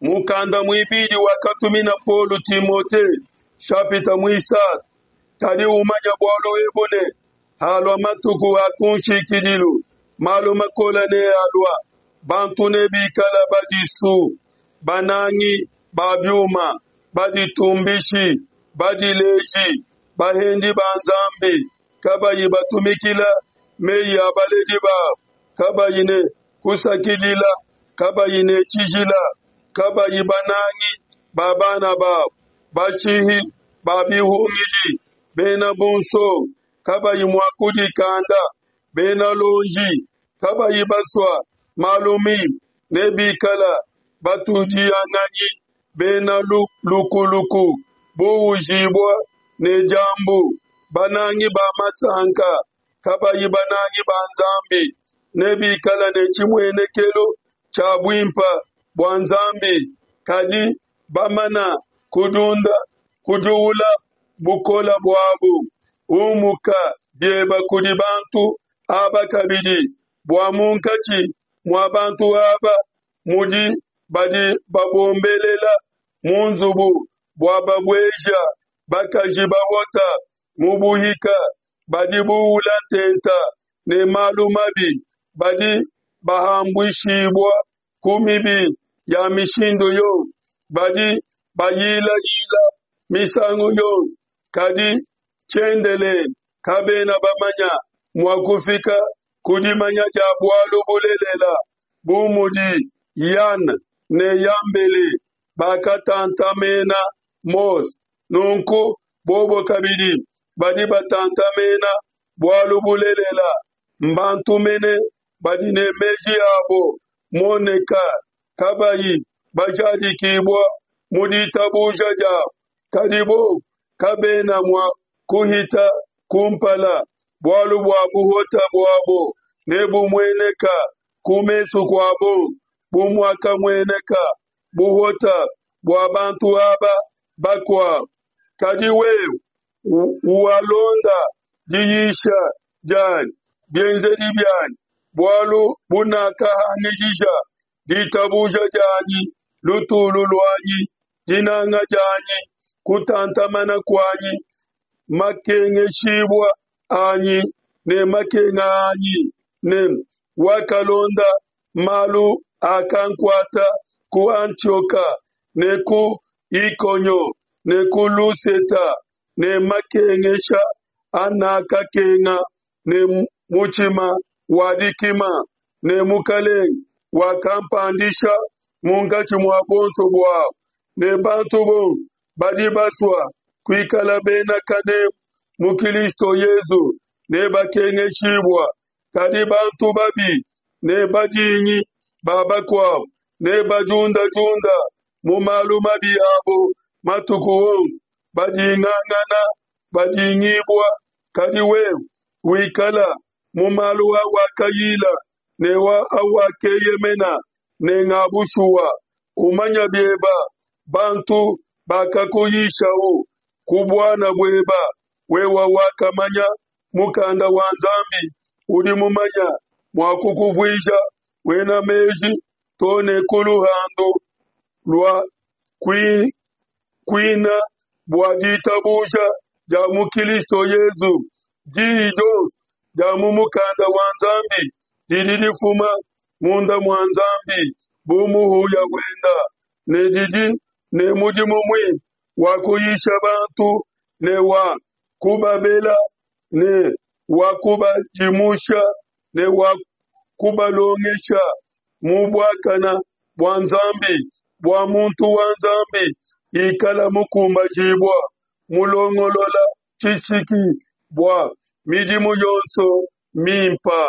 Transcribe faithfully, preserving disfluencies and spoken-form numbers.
Mukanda muibidi wakatumina Paulo Timote, nshapita muisatu. Kadi umanya bualu ebu ne, halua matuku a kunshikidilu, malu makole nealua, bantu nebikala badisu, banangi ba biuma, baditumbishi, badileji, bahendi ba Nzambi, kabayi batumikila meyi a baledi babo, kabayi ne kusakidila, kabayi ne tshijila, kabayi banangi ba bana babo, bashihi ba bihungidi, bena bunsonge, kabayi mua kudikanda, bena luonji, kabayi basua malu mimpe, nebikala batudianganyi, bena lukuluku, buujibua ne diambu, banangi ba masanka, kabayi banangi ba Nzambi, nebikala ne tshimuenekelu tshia buimpe bua Nzambi, kadi bamana kudiunda kudiula bukola buabu. Umuka bieba kudi bantu aba kabidi, bua munkatshi mua bantu aba mudi badi babombelela mu nzubu bua babueja bakaji bahota mu buhika, badi buula ntenta ne malu mabi, badi bahambuishibua ku mibi ya mishindu yonso, badi bayilayila misangu yonso, kadi tshiendelele kabena bamanya mua kufika ku dimanya dia bualu bulelela, bu mudi Yane ne Yambele bakatantamena Mose, nunku bobo kabidi badi batantamena bualu bulelela. Mbantu mene badi ne meji abo moneka kabayi bajadikibua mu ditabuja diabo, kadi bobo kabena mua kuhita kumpala, bualu bua buhota buabo nebumueneka ku mesu kua bonso, bu muakamueneka buhota bua bantu aba bakuabo. Kadi wewe walonda diyisha dianyi, bienzedi bianyi, bualu bunakahangidisha, ditabuja dianyi, lutulu luanyi, dinanga dianyi, kutantamana kuanyi, makengeshibua anyi ne makenga anyi, ne wakalonda malu akankuata ku Antioka ne ku Ikonio ne ku Luseta, ne makengesha anakakenga ne mutshima wa dikima, ne Mukelenge wakampandisha munkatshi mua buonso buabo. Ne bantu bonso badi basua kuikala bena kanemu mu Kilisto Yesu nebakengeshibua, kadi bantu babi ne badingi ba bakuabo nebadiundadiunda mu malu mabi abo matuku onso, badingangana, badingibua. Kadi wewe wikala mu malu awakayila ne awakeyemena ne nga bushuwa, umanya bieba bantu bakakuyishau ku buana bueba, wewe wakamanya mukanda wa Nzambi udi mumanya mua kukuvuija muena meji to ne ku luhandu lua kuina bua ditabuja dia mu Kilisto Yesu. Diyi dionso dia mu mukanda wa Nzambi didi difuma munda mua Nzambi bu muhuya wenda, ne didi ne mudimu muimpe wa kuyisha bantu ne wa kubabela ne wa kubadimusha ne wa kubalongesha mu buakana bua Nzambi, bua muntu wa Nzambi ikala mukumbajibua, mulongolola tshishiki bua midimu yonso mimpa.